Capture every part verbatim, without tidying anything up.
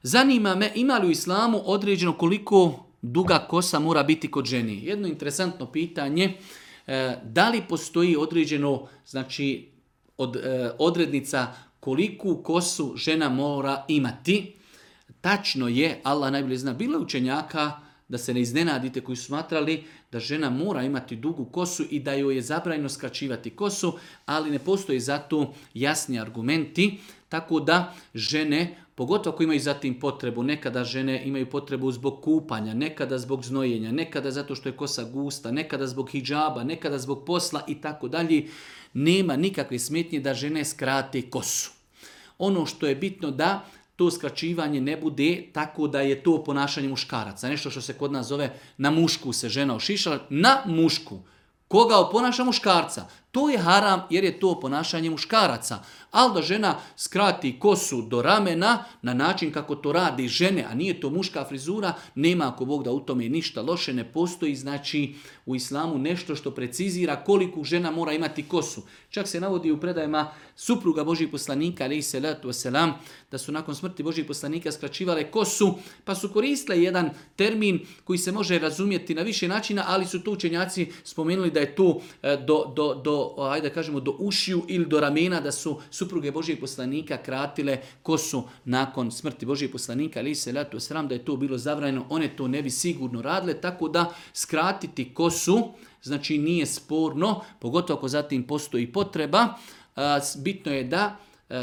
Zanima me, ima li u islamu određeno koliko duga kosa mora biti kod ženi? Jedno interesantno pitanje, e, da li postoji određeno, znači, od, e, odrednica koliku kosu žena mora imati? Tačno je, Allah najbolje zna, bilo je učenjaka, da se ne iznenadite, koji su smatrali da žena mora imati dugu kosu i da joj je zabranjeno skraćivati kosu, ali ne postoji za to jasni argumenti, tako da žene, pogotovo ako imaju zatim potrebu, nekada žene imaju potrebu zbog kupanja, nekada zbog znojenja, nekada zato što je kosa gusta, nekada zbog hidžaba, nekada zbog posla i tako dalje, nema nikakve smetnje da žene skrate kosu. Ono što je bitno da to skraćivanje ne bude tako da je to ponašanje muškaraca. Nešto što se kod nas zove na mušku se žena ošišala, na mušku. Koga oponaša muškarca? To je haram jer je to ponašanje muškaraca. Ali da žena skrati kosu do ramena na način kako to radi žene, a nije to muška frizura, nema ako Bog da u tome ništa loše, ne postoji znači u islamu nešto što precizira koliko žena mora imati kosu. Čak se navodi u predajama supruga Božih poslanika, alejhi selatu vesselam, da su nakon smrti Božih poslanika skraćivale kosu, pa su koristile jedan termin koji se može razumjeti na više načina, ali su to učenjaci spomenuli da je to do, do, do ajde da kažemo do ušiju ili do ramena, da su supruge Božijeg poslanika kratile kosu nakon smrti Božijeg poslanika, ali se letu sram da je to bilo zabranjeno, one to ne bi sigurno radile, tako da skratiti kosu, znači nije sporno, pogotovo ako zatim postoji potreba. Bitno je da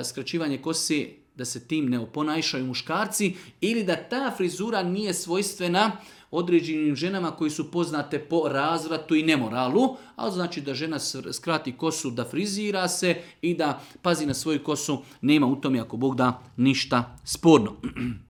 skraćivanje kose, da se tim ne oponašaju muškarci ili da ta frizura nije svojstvena određenim ženama koji su poznate po razvratu i nemoralu, ali znači da žena skrati kosu, da frizira se i da pazi na svoju kosu, nema u tome ako Bog da ništa sporno.